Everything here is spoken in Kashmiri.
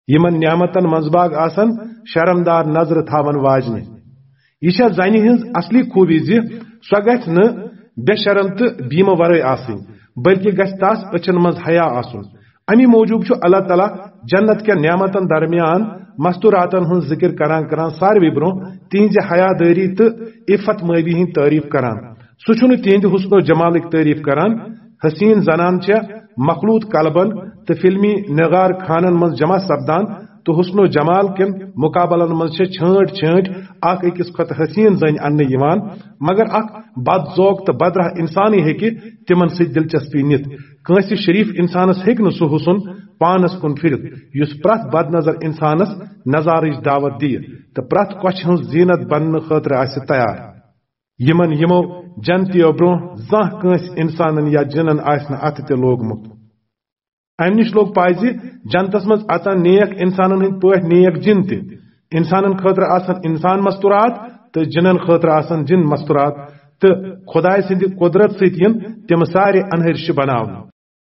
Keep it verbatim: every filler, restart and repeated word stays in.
یِمن نعمتن منٛز باگ آسن شرمدار نظرٕ تھاون واجنہِ۔ یہِ چھےٚ زنہِ ہٕنٛز اصلی خوٗبی زِ سۄ گژھِ نہٕ بے شرم تہٕ بیمہٕ ورٲے آسٕنۍ، بلکہِ گژھِ تس أچھن منٛز حیا آسُن۔ امی موٗجوٗب چھُ اللہ تعالیٰ جنت کٮ۪ن نعمتن درمیان مستوراتن ہٕنٛز ذِکِر کران کران ساروی برٛونٛہہ تِہنٛزِ حیادٲری تہٕ عفت مٲبی ہٕنٛز تعریف کران۔ سُہ چھُنہٕ تِہنٛدِ حسن و جمالٕکۍ تعریف کران۔ حسین زنان چھےٚ مخلوط قلبن تہٕ فلمی نگار خانن منٛز جمع سپدان تہٕ حسن و جمال کٮ۪ن مقابلن منٛز چھےٚ چھٲنٹ چھٲنٹ اکھ أکِس کھۄتہٕ حسین زنہِ اننہٕ یِوان، مگر اکھ بد ذوق تہٕ بدراہ انسانٕے ہیٚکہِ تِمن سۭتۍ دلچسپی نِتھ۔ کٲنٛسہِ شریف انسانس ہیٚکہِ نہٕ سُہ حسن پانس کُن پھِرِتھ، یُس پرٛٮ۪تھ بد نظر انسانس نظارٕچ دعوت دِیہِ تہٕ پرٛٮ۪تھ کۄچھِ ہٕنٛز زینت بننہٕ خٲطرٕ آسہِ تیار۔ یِمن یِمو جنتیو برٛونٛہہ زانٛہہ کٲنٛسہِ انسانن یا جِنن آسہِ نہٕ اتھٕ تہِ لوگمُت۔ امہِ نِش لوٚگ پاے زِ جنتس منٛز اژن نیک انسانن ہٕنٛدۍ پٲٹھۍ نیک جِن تہِ۔ انسانن خٲطرٕ آسن انسان مستورات تہٕ جِنن خٲطرٕ آسن جِن مستورات، تہٕ خدایہِ سٕنٛدِ قۄدرت سۭتۍ یِن تِم سارے انہرشہِ بناونہٕ۔